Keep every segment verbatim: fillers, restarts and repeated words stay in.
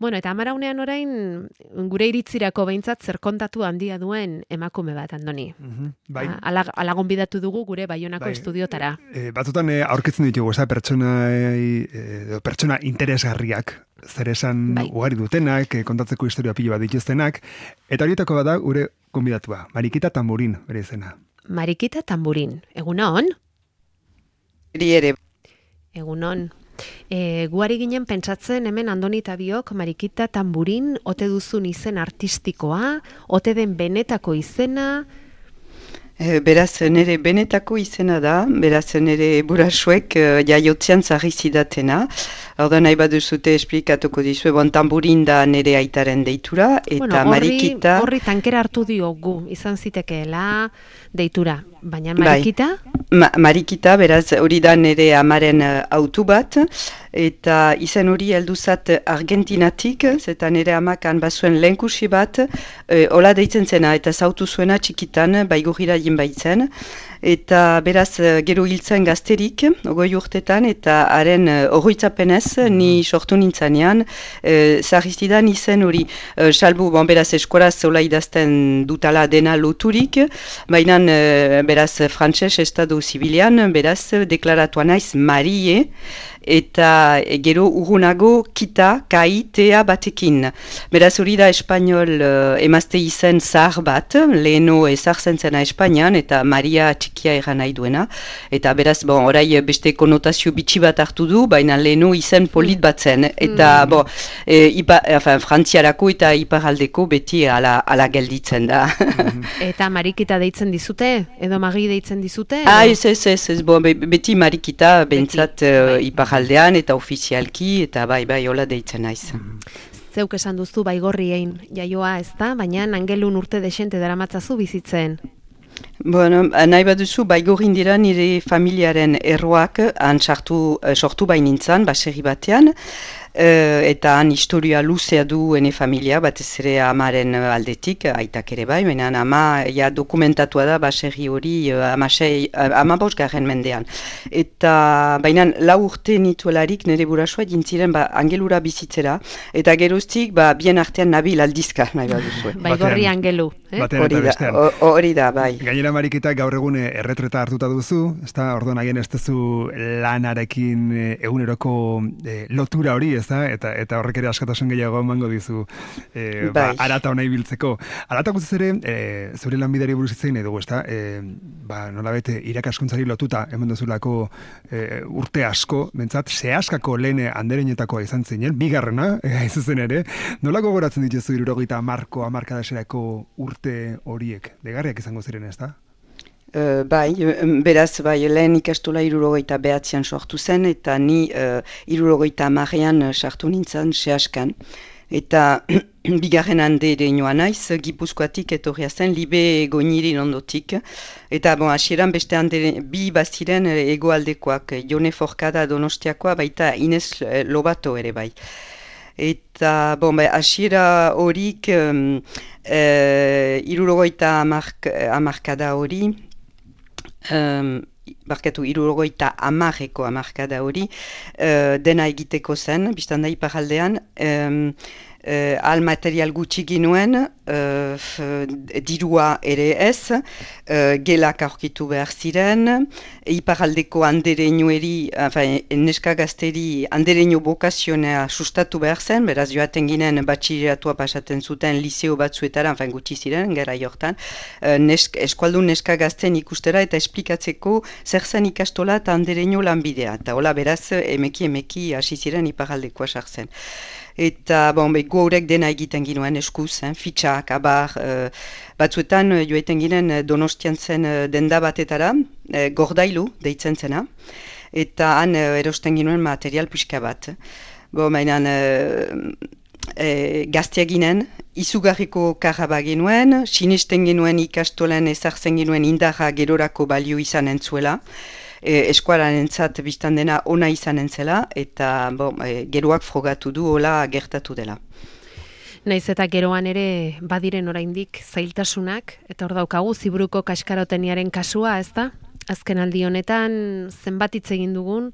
Bueno, eta amaraunean orain, gure iritzirako behintzat zer kontatu handia duen emakume bat, Andoni. Mm-hmm. Bai. Ala, ala gonbidatu dugu gure Baionako bai. estudiotara. E, batzutan e, aurkitzen ditugu, eza, pertsona, e, pertsona interesgarriak, zer esan bai. ugari dutenak, e, kontatzeko historia pilo bat dituztenak, eta horietako bada gure gonbidatua, Marikita Tamburin, bere izena. Marikita Tamburin, egunon? Eri ere. Egunon. E, guari ginen pentsatzen hemen Andoni eta biok Marikita Tamburin ote duzun izen artistikoa, ote den benetako izena. E, beraz, nire benetako izena da, beraz, nire burasuek uh, jaiotzean zarri zidatena. Hor nahi baduzute esplikatuko dizue, bon, Tamburin da nire aitaren deitura, eta bueno, horri, Marikita... Horri tankera hartu diogu, izan zitekeela deitura, baina Marikita? Ma, Marikita, beraz, hori da nire amaren uh, autu bat, eta izen hori helduzat Argentinatik, zeta nire amakan bazuen lehenkusi bat, e, hola deitzen zena, eta zautu zuena txikitan, baigurira baitzen, eta beraz gero hiltzen gazterik, ogoi urtetan, eta haren horroitzapenez, ni sortu nintzanean, e, zarriztidan izen hori, e, salbu, bon, beraz eskolaz zola idazten dutala dena loturik, baina e, beraz frantses estado zibilian, beraz deklaratuan naiz Marie, eta gero urrunago kita, kai, tea batekin. Beraz hori da espainol uh, emazte izen zahar bat, leheno ezartzen zena Espainian, eta Maria txikia eran nahi duena. Eta beraz, bon, orai beste konotazio bitxi bat hartu du, baina leheno izen polit bat zen. Eta, mm. bon, e, ipa, enfin, frantziarako eta iparaldeko beti ala, ala gelditzen da. Eta Marikita deitzen dizute? Edo Magi deitzen dizute? Ah, ez, ez, ez, ez, bon, beti Marikita bentsat uh, ipar aldean eta ofizialki, eta bai, bai, hola deitzen naiz. Zeuk esan duzu baigorriein jaioa ez da, baina angelun urte desente daramatzazu bizitzen. Bueno, nahi baduzu, baigorrin dira nire familiaren erroak han sartu, sortu bainintzan, baserri batean, Uh, eta han historia luzea du ene familia, batez ere amaren aldetik, aitak ere bai, baina ama ja, dokumentatua da baserri hori uh, ama bosgarren mendean. Eta baina lau urte nituelarik nire burasua jintziren ba, angelura bizitzera, eta geroztik ba, bien artean nabil aldizka nahi baduzu. Baigorri angelu. Eh? Hori da, hori da, bai. Gainera Marikita gaur egun erretreta hartuta duzu, ezta orduan haien ez duzu lanarekin eguneroko e, lotura hori, ezta? Eta eta horrek ere askatasun gehiago emango dizu e, ba, arata hona ibiltzeko. Arata guztiz ere, e, zure lanbideari buruz hitz egin nahi dugu, ezta? E, ba, nolabait irakaskuntzari lotuta hemen duzulako e, urte asko, bentsat, sehaskako lehen anderenetakoa izan zinen, bigarrena, e, izuzen ere, nola gogoratzen dituzu hirurogeita hamarko hamarkadaserako urte horiek? Degarriak izango ziren, ezta? Uh, bai, beraz, bai, lehen ikastola hirurogeita behatzean sortu zen, eta ni uh, hirurogeita hamarrean sartu nintzen sehaskan. Eta bigarren hande ere nioa naiz, Gipuzkoatik etorria zen, Libe Goinirin ondotik. Eta, bon, hasieran beste hande bi baziren egoaldekoak, Jone Forkada Donostiakoa, baita Ines Lobato ere bai. Eta, bon, bai, hasiera horik, um, uh, hirurogeita hamarkada hori, Um, barkatu, hirurogeita hamarreko hamarkada hori, uh, dena egiteko zen, biztan da iparaldean, um, Uh, al material gutxi ginuen, uh, dirua ere ez, uh, gelak aurkitu behar ziren, iparaldeko andereñoeri, enfin, neska gazteri andereño bokazionea sustatu behar zen, beraz joaten ginen batxileratua pasaten zuten liseo batzuetara, enfin, gutxi ziren, gara jortan, uh, nesk, eskualdun neska gazten ikustera eta esplikatzeko zer zen ikastola eta andereño lanbidea, eta hola beraz emeki emeki hasi ziren iparaldekoa sartzen. Eta, bon, be, gorek dena egiten ginuen eskuz, eh, fitxak, abar, uh, batzuetan uh, joeten ginen Donostian zen uh, denda batetara, uh, gordailu deitzen zena, eta han uh, erosten ginuen material pixka bat. Bo, mainan, uh, uh, gaztea ginen, izugarriko karraba genuen, sinesten genuen ikastolen ezartzen genuen indarra gerorako balio izan entzuela, E, eskuaran entzat biztan dena ona izan entzela, eta bon, e, geroak frogatu du hola gertatu dela. Naiz eta geroan ere badiren oraindik zailtasunak, eta hor daukagu Ziburuko kaskaroteniaren kasua, ez da? Azken aldi honetan zenbat hitz egin dugun,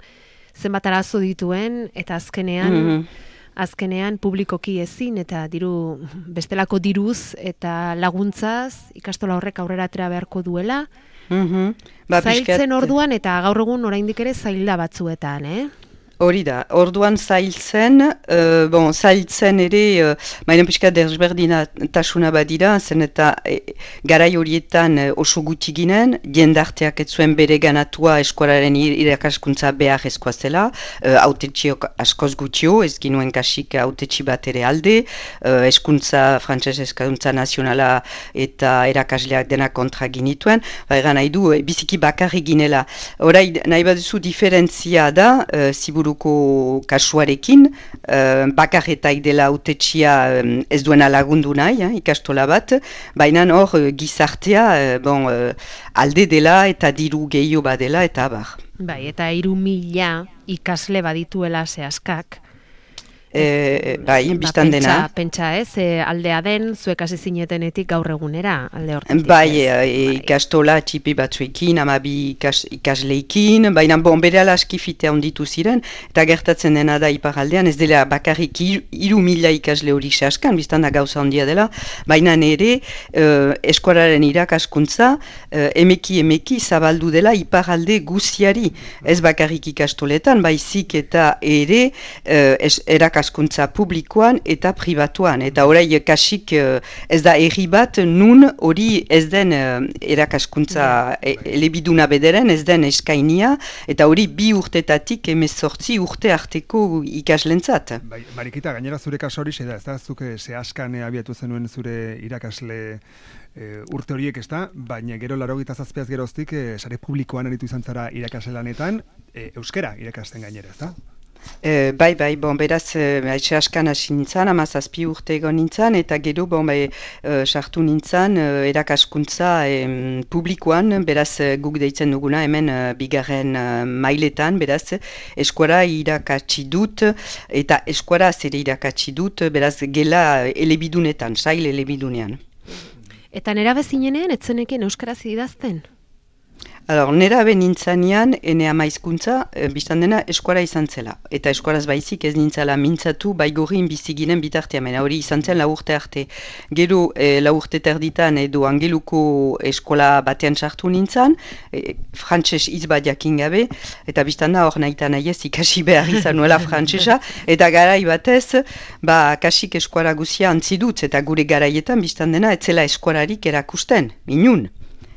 zenbat arazo dituen, eta azkenean mm-hmm. azkenean publikoki ezin eta diru bestelako diruz eta laguntzaz ikastola horrek aurrera atera beharko duela. Mm-hmm. Ba, zailtzen orduan eta gaur egun oraindik ere zailda batzuetan, eh? Hori da, orduan zailtzen, uh, bon, zailtzen ere, uh, mainan pixka desberdinatasuna badira, zen eta e, garai horietan uh, oso gutxi ginen, jendarteak ez zuen bere ganatua eskualaren irakaskuntza behar ezkoa zela, uh, autetxiok askoz gutxio, ez ginuen kasik autetxi bat ere alde, uh, eskuntza, frantses eskuntza nazionala eta erakasleak dena kontra ginituen, baina nahi du, e, biziki bakarri ginela. Horai, nahi baduzu diferentzia da, uh, ziburu kasuarekin, uh, bakarretak dela autetxia um, ez duena lagundu nahi, eh, ikastola bat, baina hor uh, gizartea uh, bon, uh, alde dela eta diru gehiago badela eta abar. Bai, eta hiru mila ikasle badituela zehazkak. E, bai, biztan ba, dena. Pentsa ez, e, aldea den, zuek hasi zinetenetik gaur egunera, alde hortetik. Bai, e, ikastola txipi batzuekin, amabi ikas, ikasleikin, baina bon, bere alaski fitea onditu ziren, eta gertatzen dena da iparaldean, ez dela bakarrik hiru mila ikasle hori saskan, biztan da gauza ondia dela, baina nere uh, eskualaren irakaskuntza uh, emeki emeki zabaldu dela iparalde guziari, ez bakarrik ikastoletan, baizik eta ere uh, es, erakaskuntza publikoan eta pribatuan. Eta orai kasik uh, ez da erri bat nun hori ez den uh, erakaskuntza e, elebiduna bederen, ez den eskainia, eta hori bi urtetatik emezortzi urte arteko ikaslentzat. Bai, Marikita, gainera zure kaso hori da, ez da, zuk zehaskan abiatu zenuen zure irakasle e, urte horiek, ez da, baina gero laurogeita zazpiaz geroztik e, sare publikoan aritu izan zara irakasle lanetan, e, euskera irakasten gainera, ez da? Uh, bai, bai, bon, beraz, haitxe uh, askan hasi nintzen, amazazpi urte egon nintzen, eta gero, bon, bai, uh, sartu nintzen, uh, erakaskuntza um, publikoan, beraz, uh, guk deitzen duguna, hemen uh, bigarren uh, mailetan, beraz, eskuara irakatsi dut, eta eskuara zere irakatsi dut, beraz, gela elebidunetan, sail elebidunean. Eta nera bezinenean, etzeneken euskaraz idazten? Alors, nera ben nintzanean, ene ama hizkuntza, e, biztan dena eskuara izan zela. Eta eskuaraz baizik ez nintzala mintzatu, baigorin biziginen bitartea, mena hori izan zen lau urte arte. Gero, e, lau urte terditan edo angeluko eskola batean sartu nintzan, e, frantses hitz bat jakin gabe, eta biztan da hor nahi eta nahi ez ikasi behar izan nuela frantsesa, eta garai batez, ba, kasik eskuara guzia antzidutz, eta gure garaietan biztan dena etzela eskuararik erakusten, minun.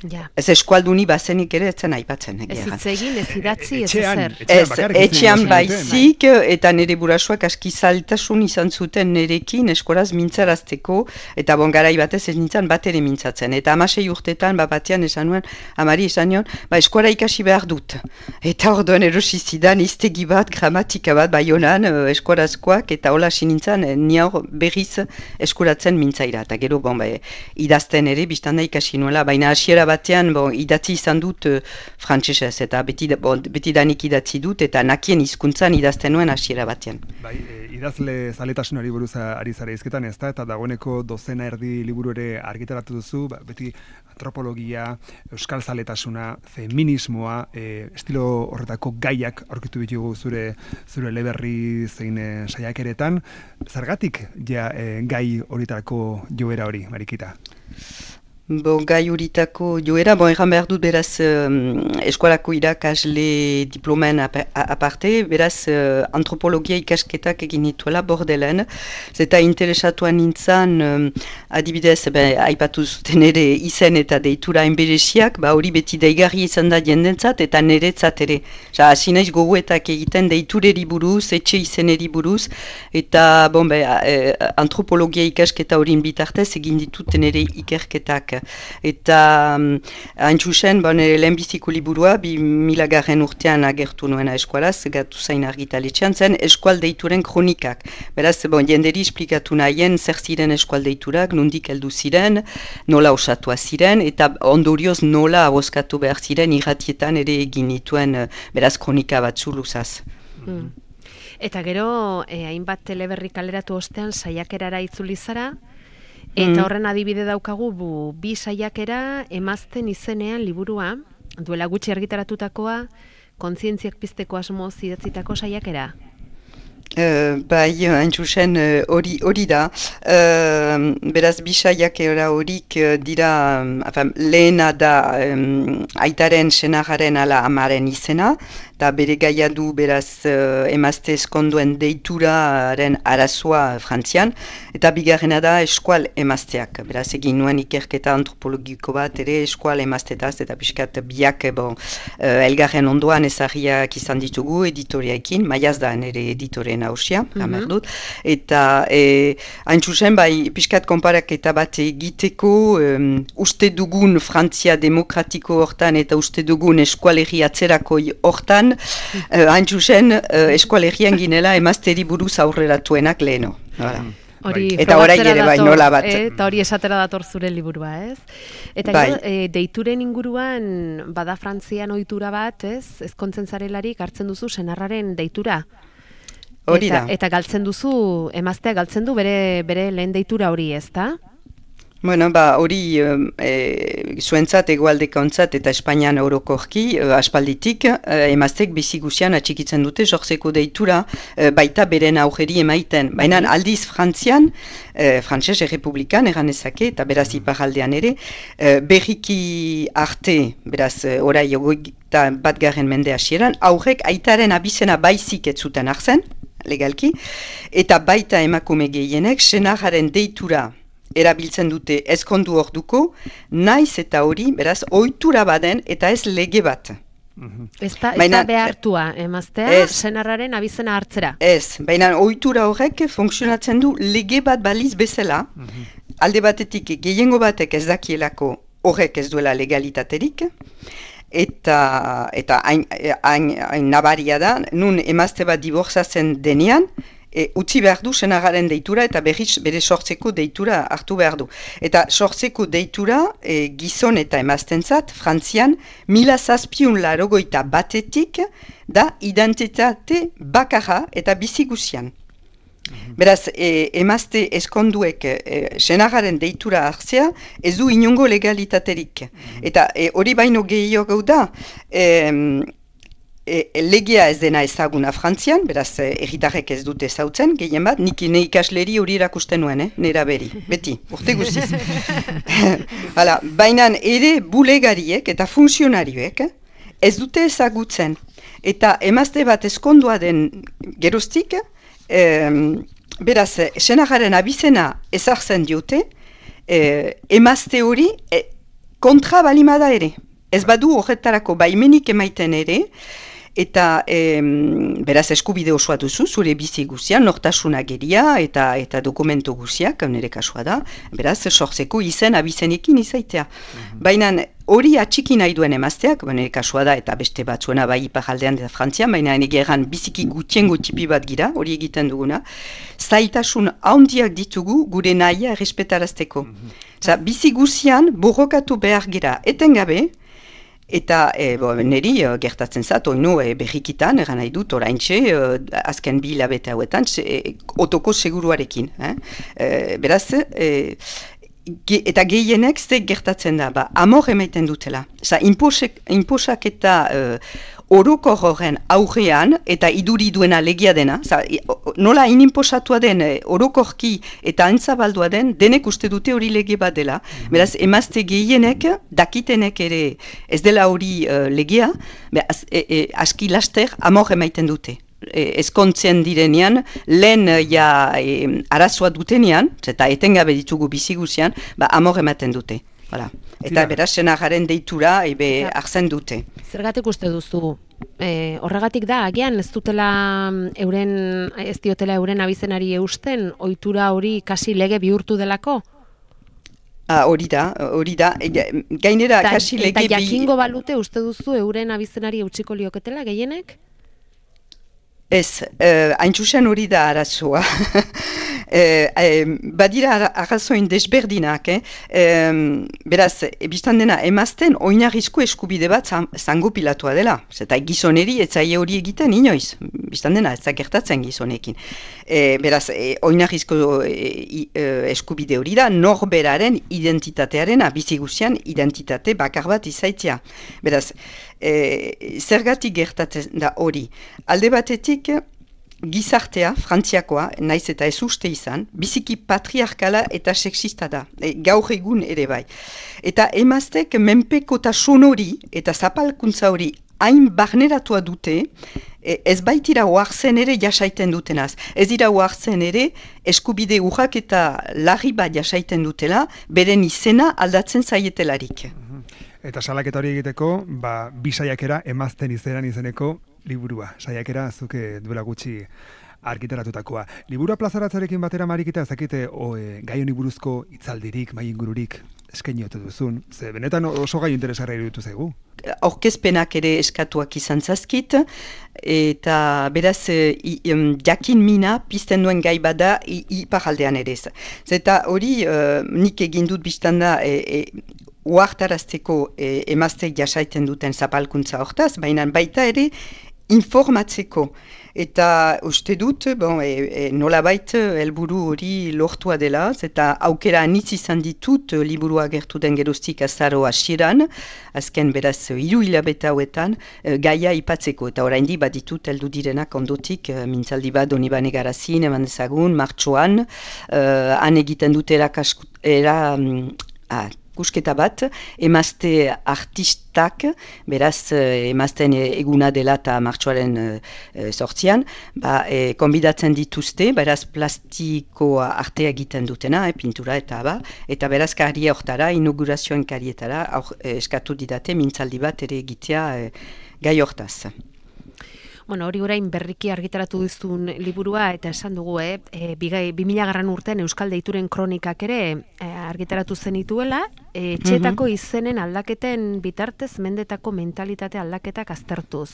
Ja. Ez eskualduni bazenik ere etzen aipatzen. Ez hitzegin, ez idatzi, ez Etxean, ezer. Ez, etxean baizik, eta nire burasuak aski zailtasun izan zuten nerekin eskoraz mintzarazteko, eta bon garai batez ez nintzen bat ere mintzatzen. Eta amasei urtetan, bat batean esan nuen, amari esan nion, ba eskuara ikasi behar dut. Eta orduan erosi zidan iztegi bat, gramatika bat, baionan eskuarazkoak, eta hola hasi nintzen, ni hor berriz eskuratzen mintzaira. Eta gero, bon, ba, idazten ere, biztanda ikasi nuela, baina hasiera batean bon, idatzi izan dut uh, frantsesez, eta beti, bon, beti danik idatzi dut, eta nakien hizkuntzan idazten nuen hasiera batean. Bai, e, idazle zaletasunari buruz ari zara izketan, ez da, eta dagoeneko dozena erdi liburu ere argitaratu duzu, ba, beti antropologia, euskal zaletasuna, feminismoa, e, estilo horretako gaiak aurkitu ditugu zure zure eleberri zein e, saiakeretan. Zergatik ja e, gai horietako joera hori, Marikita? Bo, gai horitako joera, bon, erran behar dut beraz um, eskualako irakasle diplomen ap aparte, beraz uh, antropologia ikasketak egin nituela Bordelen, zeta interesatuan nintzen, um, adibidez, be, aipatu zuten ere izen eta deitura enberesiak, ba hori beti deigarri izan da jendentzat eta niretzat ere. Ja, hasi naiz gogoetak egiten deitureri buruz, etxe izeneri buruz, eta bon, be, eh, antropologia ikasketa horin bitartez egin dituten ere ikerketak. Eta um, haintxusen, bon, lehenbiziko liburua, bi milagarren urtean agertu nuena eskualaz, gatu zain argitaletxean zen, eskualdeituren kronikak. Beraz, bon, jenderi esplikatu nahien zer ziren eskualdeiturak, nondik heldu ziren, nola osatua ziren, eta ondorioz nola aboskatu behar ziren irratietan ere egin nituen, beraz, kronika batzu luzaz. Hmm. Eta gero, eh, hainbat teleberri kaleratu ostean saiakerara itzuli zara, eta horren adibide daukagu bu, bi saiakera emazten izenean liburua, duela gutxi argitaratutakoa, kontzientziak pizteko asmoz idatzitako saiakera. Uh, bai, hain zuzen hori uh, da. Uh, beraz, bisaiak horik uh, dira, um, afam, lehena da um, aitaren senagaren ala amaren izena, eta bere gaia du beraz uh, emazte eskonduen deituraren arazoa Frantzian, eta bigarrena da eskual emazteak. Beraz, egin nuen ikerketa antropologiko bat ere eskual emaztetaz, eta pixkat biak bon, uh, elgarren ondoan ezagiak izan ditugu editoriaekin, maiaz da nire editoren hausia, mm-hmm. dut, eta e, hain zuzen, bai, pixkat konparaketa bat egiteko um, uste dugun Frantzia demokratiko hortan eta uste dugun eskualerri atzerakoi hortan, uh, hain zuzen, uh, eskualerian ginela emazteri buruz aurreratuenak leheno. Hala. Hori eta orai ere bai, nola bat. Eh, eta hori esatera dator zure liburua, ez? Eta bai. gero, e, deituren inguruan bada Frantzian ohitura bat, ez? Ezkontzen zarelarik hartzen duzu senarraren deitura. Hori eta, da. eta galtzen duzu, emaztea galtzen du bere, bere lehen deitura hori, ez da? Bueno, ba, hori e, zuentzat, egualdekontzat eta Espainian orokorki e, aspalditik e, emaztek bizi guzian atxikitzen dute jortzeko deitura e, baita beren aurreri emaiten. Baina aldiz Frantzian, e, Frantses Errepublikan egan ezake eta beraz iparaldean ere, e, berriki arte, beraz orai ogoita bat garen mende hasieran, aurrek aitaren abizena baizik ez zuten hartzen, legalki, eta baita emakume gehienek senarraren deitura erabiltzen dute ezkondu orduko, naiz eta hori, beraz, ohitura baden eta ez lege bat. Ez da, ez da behartua, emaztea, ez, senarraren abizena hartzera. Ez, baina ohitura horrek funtzionatzen du lege bat baliz bezala, mm-hmm. alde batetik gehiengo batek ez dakielako horrek ez duela legalitaterik, eta eta hain, hain, hain nabaria da, nun emazte bat diborzatzen denean, E, utzi behar du senagaren deitura eta berriz bere sortzeko deitura hartu behar du. Eta sortzeko deitura e, gizon eta emaztentzat Frantzian mila zazpiun larogoita batetik da identitate bakarra eta bizi guzian. Mm-hmm. Beraz, e, emazte eskonduek e, senagaren deitura hartzea ez du inongo legalitaterik. Mm-hmm. Eta hori e, baino gehiago da, e, E, legea ez dena ezaguna Frantzian, beraz erritarrek ez dute ezautzen, gehien bat, nik ne ikasleri hori erakusten nuen, eh? Nera beri, beti, urte guztiz. Hala, baina ere bulegariek eta funtzionarioek ez dute ezagutzen. Eta emazte bat ezkondua den geroztik, eh, beraz, senagaren abizena ezartzen diote, eh, emazte hori eh, kontra balimada ere. Ez badu horretarako baimenik emaiten ere, eta e, beraz eskubide osoa duzu, zure bizi guzian, nortasuna geria eta eta dokumentu guziak, nire kasua da, beraz sortzeko izen abizenekin izaitea. Mm-hmm. Baina hori atxiki nahi duen emazteak, nire kasua da eta beste batzuena bai iparaldean eta Frantzian, baina egeran biziki gutiengo tipi bat gira, hori egiten duguna, zaitasun handiak ditugu gure nahia errespetarazteko. Mm-hmm. Za, bizi guzian borrokatu behar gira etengabe, eta e, bo, niri uh, gertatzen zat, oinu e, berrikitan, eran nahi dut, oraintxe, uh, azken bi hilabete hauetan, se, e, otoko seguruarekin. Eh? E, beraz, e, ge, eta gehienek ze gertatzen da, ba, amor emaiten dutela. Za, inposek, inposak eta uh, oroko horren aurrean, eta iduri duena legia dena, za, nola inimposatua den orokorki eta antzabaldua den, denek uste dute hori lege bat dela. Mm-hmm. Beraz, emazte gehienek, dakitenek ere ez dela hori uh, legea, be, az, e, e, aski laster amor emaiten dute. E, ezkontzen direnean, lehen ja, e, arazoa dutenean, eta etengabe ditugu bizi guzian, ba, amor ematen dute. Voilà. Eta beraz, senagaren deitura ebe hartzen dute. Zergatik uste duzu? E, horregatik da, agian ez dutela euren, ez diotela euren abizenari eusten, ohitura hori kasi lege bihurtu delako? Ah, hori da, hori da. Gainera, Ta, kasi lege... Eta jakingo balute uste duzu euren abizenari eutsiko lioketela, gehienek? Ez, uh, haintzusen hori da arazoa. eh, eh, badira arrazoin desberdinak, eh? eh, beraz, biztan dena, emazten oinarrizko eskubide bat zango pilatua dela. Zeta gizoneri ez zaie hori egiten inoiz. Biztan dena, ez zagertatzen gizonekin. Eh, beraz, eh, oinarrizko eh, eh, eskubide hori da, norberaren identitatearen, bizi guzian identitate bakar bat izaitzea. Beraz, E, zergatik gertatzen da hori. Alde batetik, gizartea, frantziakoa, naiz eta ez uste izan, biziki patriarkala eta sexista da, e, gaur egun ere bai. Eta emaztek menpekotasun hori eta zapalkuntza hori hain barneratua dute, e, ez baitira oartzen ere jasaiten dutenaz. Ez dira oartzen ere eskubide urrak eta larri bat jasaiten dutela, beren izena aldatzen zaietelarik. Eta salaketa hori egiteko, ba, bi saiakera emazten izenan izeneko liburua. Saiakera zuke duela gutxi argitaratutakoa. Liburua plazaratzarekin batera Marikita, ezakite o, e, gai honi buruzko hitzaldirik, mai ingururik eskaini ote duzun. Ze benetan oso gai interesgarria iruditu zaigu. Aurkezpenak ere eskatuak izan zazkit, eta beraz i, um, jakin mina pizten duen gai bada iparaldean ere. Zeta hori uh, nik egin dut biztanda e, e, uartarazteko e, emazteik jasaiten duten zapalkuntza hortaz, baina baita ere informatzeko. Eta uste dut, bon, e, e, nolabait helburu hori lortua dela, eta aukera anitz izan ditut liburua gertu den geroztik azaro hasieran, azken beraz hiru hilabete hauetan e, gaia ipatzeko, eta oraindik baditut heldu direnak ondotik, e, mintzaldi bat Donibane Garazin, eman dezagun, martxoan, e, han egiten dut erakaskut, era, ah, kusketa bat, emazte artistak, beraz emazten eguna dela eta martxoaren e, sortzian, ba, e, konbidatzen dituzte, beraz plastikoa artea egiten dutena, e, pintura eta ba, eta beraz karia hortara, inaugurazioen karietara, aur, e, eskatu didate mintzaldi bat ere egitea e, gai hortaz. Bueno, hori orain berriki argitaratu duzun liburua, eta esan dugu, eh, e, bi mila garran urtean Euskal Deituren kronikak ere e, argitaratu zenituela, e, etxeetako mm-hmm. izenen aldaketen bitartez mendetako mentalitate aldaketak aztertuz.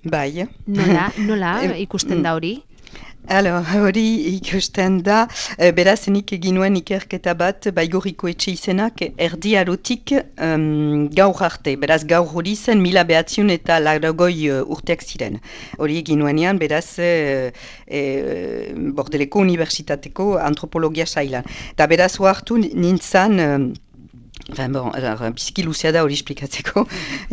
Bai. Nola, nola ikusten da hori? Alo, hori ikusten da, e, beraz nik egin nuen ikerketa bat Baigorriko etxe izenak erdi arotik um, gaur arte. Beraz gaur hori zen mila behatziun eta laurogoi uh, urteak ziren. Hori egin nuenean, beraz e, e, Bordeleko Unibertsitateko antropologia sailan. Eta beraz hartu nintzan... Um, Enfin, bon, biziki luzea da hori esplikatzeko,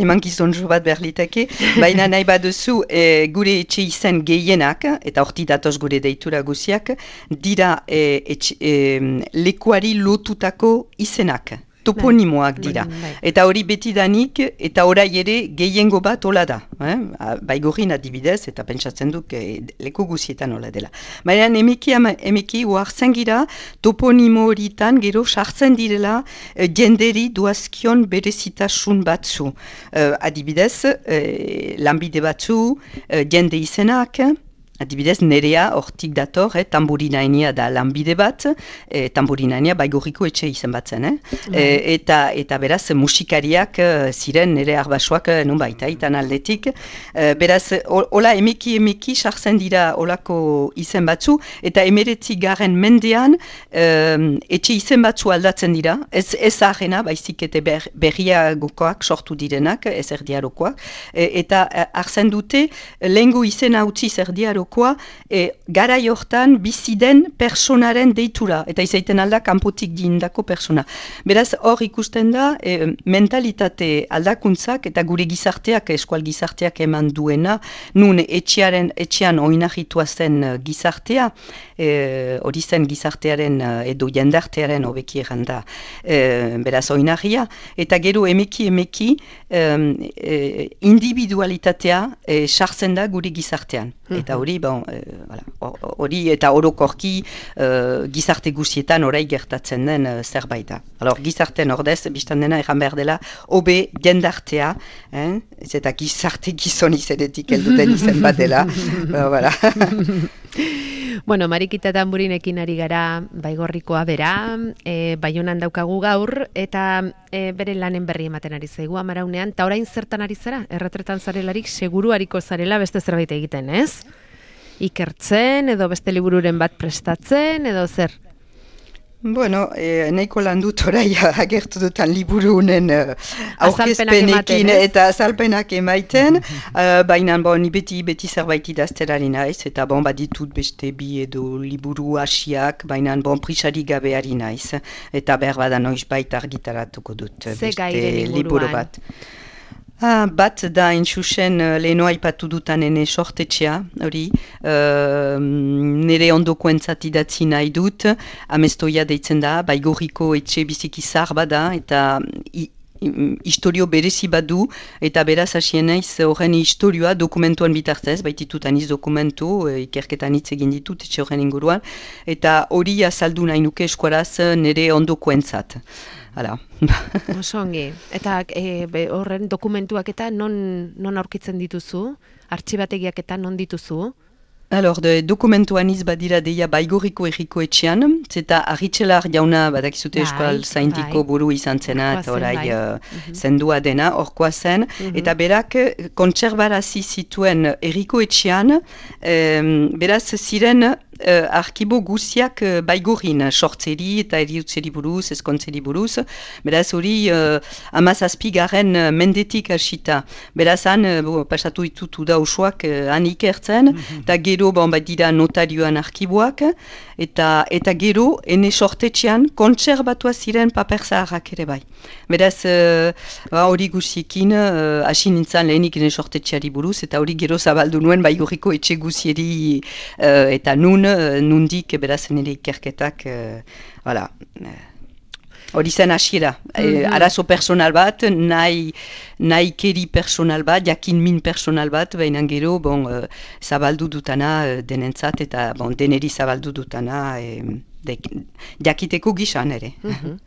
eman gizonjo bat berliteke, baina nahi baduzu e, gure etxe izen gehienak, eta horti datoz gure deitura guziak, dira e, etxe, e, lekuari lotutako izenak. Toponimoak dira. Eta hori betidanik, eta orai ere gehiengo bat hola da. Eh? Baigorrin adibidez, eta pentsatzen duk eh, leku guzietan hola dela. Baina emeki, emeki uartzen gira, toponimo horitan gero sartzen direla eh, jenderi duazkion berezitasun batzu. Eh, adibidez, eh, lanbide batzu, eh, jende izenak, adibidez, nerea hortik dator, eh, tamburinaenia da lanbide bat, eh, tamburinaenia Baigorriko etxe izen batzen, eh? Mm. E, eta, eta beraz musikariak eh, ziren nere arbasoak eh, nun baita, itan aldetik. Eh, beraz, hola emeki emeki sartzen dira olako izen batzu, eta emeretzi garen mendean eh, etxe izen batzu aldatzen dira, ez, ez ahena, baizik eta ber, berriagokoak sortu direnak, ez erdiarokoak, e, eta hartzen dute lehengo izena utzi erdiaroko E, garai hortan bizi den personaren deitura, eta izaiten alda kanpotik diindako persona. Beraz, hor ikusten da e, mentalitate aldakuntzak eta gure gizarteak, eskual gizarteak eman duena, nun etxearen, etxean oinahitua zen gizartea, hori e, zen gizartearen edo jendartearen hobeki erranda, e, beraz oinahia, eta gero emeki emeki e, e, individualitatea e, sartzen da gure gizartean. Eta hori, bon, hori e, eta orokorki e, gizarte guztietan orai gertatzen den e, zerbait da. Alors, gizartean ordez, biztan dena erran behar dela, hobe jendartea, eh? Ez eta gizarte gizon izenetik helduten izen bat dela. Voilà. Bueno, Marikita Tamburinekin ari gara Baigorrikoa bera, e, Baionan daukagu gaur, eta e, bere lanen berri ematen ari zaigu amaraunean, eta orain zertan ari zara? Erretretan zarelarik seguru hariko zarela beste zerbait egiten, ez? Ikertzen, edo beste libururen bat prestatzen, edo zer? Bueno, eh, nahiko lan dut orai agertu dutan liburunen uh, aurkezpenekin eta azalpenak emaiten, uh, baina bon, beti, beti zerbait idazterari naiz, eta bon, baditut beste bi edo liburu hasiak, baina bon, prisari gabe ari naiz, eta behar bada noiz baita argitaratuko dut beste liburu bat. Ah, bat da intxusen uh, leheno aipatu dutan ene sortetxea, hori, uh, nire ondoko entzat idatzi nahi dut, amestoia deitzen da, baigorriko etxe biziki zar bada, eta i, historio berezi badu, eta beraz hasien naiz horren historioa dokumentuan bitartez, baititut aniz dokumentu, ikerketan hitz egin ditut etxe horren inguruan, eta hori azaldu nahi nuke eskuaraz nire ondoko entzat. Hala. Oso ongi. Eta e, be, horren dokumentuak eta non, non aurkitzen dituzu? Artxibategiak eta non dituzu? Alor, de dokumentuan iz badira deia baigorriko erriko etxean, zeta arritxelar jauna badakizute eskual zaintiko buru izan zena, eta orai uh, zendua dena, orkoa zen, mm-hmm. eta berak kontserbarazi zituen erriko etxean, um, beraz ziren Uh, arkibo guziak uh, baigorrin, sortzeri eta eriutzeri buruz, eskontzeri buruz, beraz hori uh, amazazpi garen uh, mendetik hasita. Beraz han, uh, pasatu ditutu da osoak uh, han ikertzen, eta gero bon, bat dira notarioan arkiboak, eta, eta gero ene sortetxean kontserbatua ziren paper zaharrak ere bai. Beraz uh, hori guziekin uh, hasi nintzen lehenik ene sortetxeari buruz, eta hori gero zabaldu nuen baigorriko etxe guzieri uh, eta nun nundik beraz nire ikerketak voilà. Hori zen hasiera. Mm-hmm. E, arazo personal bat, nahi, nahi keri personal bat, jakin min personal bat, baina gero bon, uh, zabaldu dutana uh, denentzat eta bon, deneri zabaldu dutana e, de, jakiteko gizan ere. Mm-hmm.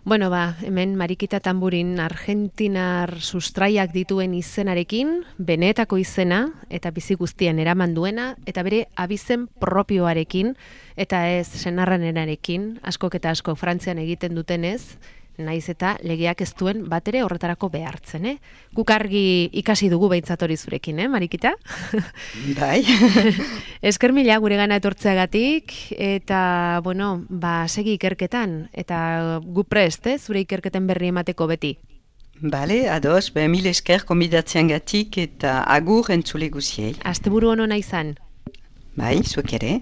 Bueno, ba, hemen Marikita Tamburin argentinar sustraiak dituen izenarekin, benetako izena, eta bizi guztien eraman duena, eta bere abizen propioarekin, eta ez senarranenarekin, askok eta asko Frantzian egiten dutenez, naiz eta legeak ez duen bat ere horretarako behartzen, eh? Guk argi ikasi dugu behintzat hori zurekin, eh, Marikita? Bai. Esker mila gure gana etortzeagatik, eta, bueno, ba, segi ikerketan, eta gu prest, eh, zure ikerketen berri emateko beti. Bale, ados, be, mil esker konbidatzean gatik, eta agur entzule guziei. Asteburu ono naizan. Bai, zuek ere.